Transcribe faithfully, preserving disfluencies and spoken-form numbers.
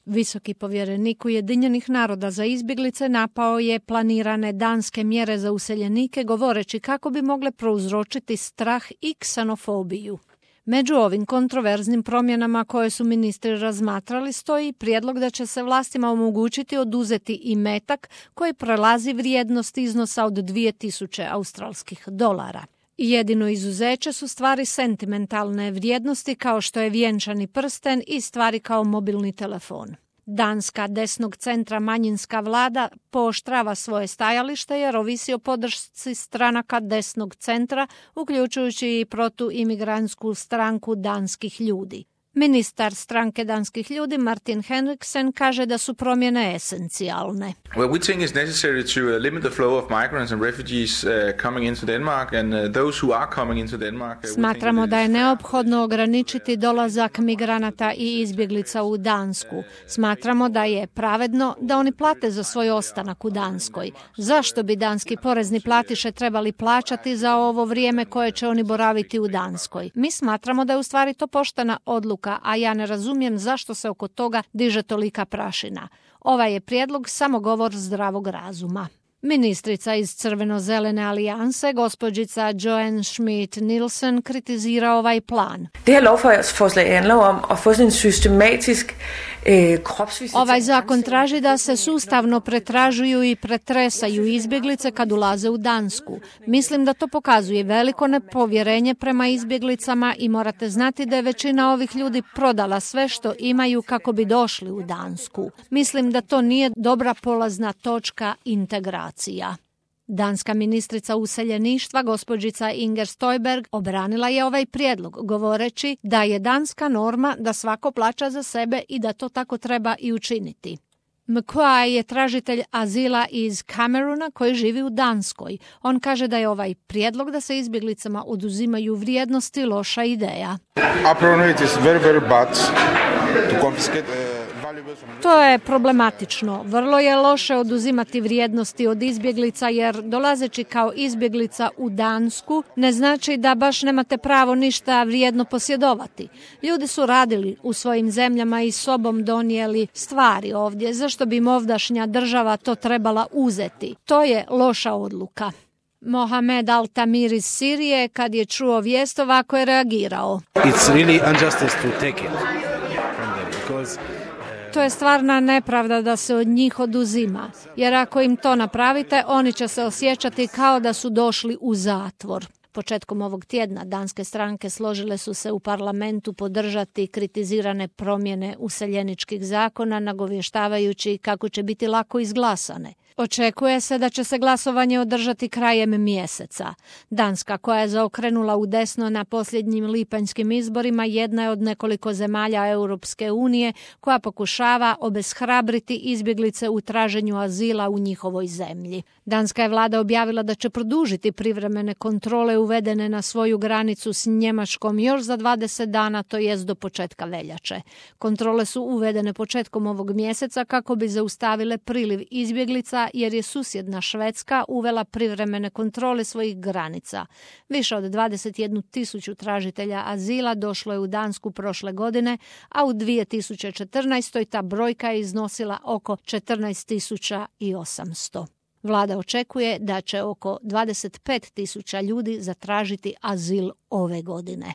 Visoki povjerenik Ujedinjenih naroda za izbjeglice napao je planirane danske mjere za useljenike govoreći kako bi mogle prouzročiti strah i ksenofobiju. Među ovim kontroverznim promjenama koje su ministri razmatrali stoji prijedlog da će se vlastima omogućiti oduzeti imetak koji prelazi vrijednost iznosa od dvije tisuće australskih dolara. Jedino izuzeće su stvari sentimentalne vrijednosti kao što je vjenčani prsten i stvari kao mobilni telefon. Danska desnog centra manjinska vlada pooštrava svoje stajalište jer ovisi o podršci stranaka desnog centra, uključujući i protuimigrantsku stranku danskih ljudi. Ministar stranke danskih ljudi Martin Henriksen kaže da su promjene esencijalne. Well, we think it's necessary to uh, limit the flow of migrants and refugees uh, coming into Denmark and uh, those who are coming into Denmark. Uh, Smatramo da je neophodno ograničiti dolazak migranata i izbjeglica u Dansku. Smatramo da je pravedno da oni plate za svoj ostanak u Danskoj. Zašto bi danski porezni platiše trebali plaćati za ovo vrijeme koje će oni boraviti u Danskoj? Mi smatramo da je u stvari to poštena odluka, a ja ne razumijem zašto se oko toga diže tolika prašina. Ovaj je prijedlog samo govor zdravog razuma. Ministrica iz Crveno-zelene alijanse, gospođica Joanne Schmidt-Nielsen, kritizira ovaj plan. Ovaj zakon traži da se sustavno pretražuju i pretresaju izbjeglice kad ulaze u Dansku. Mislim da to pokazuje veliko nepovjerenje prema izbjeglicama i morate znati da je većina ovih ljudi prodala sve što imaju kako bi došli u Dansku. Mislim da to nije dobra polazna točka integracija. Danska ministrica useljeništva, gospođica Inger Støjberg, obranila je ovaj prijedlog, govoreći da je danska norma da svako plaća za sebe i da to tako treba i učiniti. McQuay je tražitelj azila iz Kameruna koji živi u Danskoj. On kaže da je ovaj prijedlog da se izbjeglicama oduzimaju vrijednosti loša ideja. To je problematično. Vrlo je loše oduzimati vrijednosti od izbjeglica jer dolazeći kao izbjeglica u Dansku ne znači da baš nemate pravo ništa vrijedno posjedovati. Ljudi su radili u svojim zemljama i sobom donijeli stvari ovdje. Zašto bi im ovdašnja država to trebala uzeti? To je loša odluka. Mohamed Al-Tamir iz Sirije, kad je čuo vijest, ovako je reagirao. It's really injustice to take it from them because To je stvarna nepravda da se od njih oduzima, jer ako im to napravite, oni će se osjećati kao da su došli u zatvor. Početkom ovog tjedna danske stranke složile su se u parlamentu podržati kritizirane promjene useljeničkih zakona, nagovještavajući kako će biti lako izglasane. Očekuje se da će se glasovanje održati krajem mjeseca. Danska, koja je zaokrenula u desno na posljednjim lipanjskim izborima, jedna je od nekoliko zemalja Europske unije koja pokušava obeshrabriti izbjeglice u traženju azila u njihovoj zemlji. Danska je vlada objavila da će produžiti privremene kontrole uvedene na svoju granicu s Njemačkom još za dvadeset dana, to jest do početka veljače. Kontrole su uvedene početkom ovog mjeseca kako bi zaustavile priliv izbjeglica, jer je susjedna Švedska uvela privremene kontrole svojih granica. Više od dvadeset jednu tisuću tražitelja azila došlo je u Dansku prošle godine, a u dvije tisuće četrnaestoj ta brojka je iznosila oko četrnaest tisuća osamsto. Vlada očekuje da će oko dvadeset pet tisuća ljudi zatražiti azil ove godine.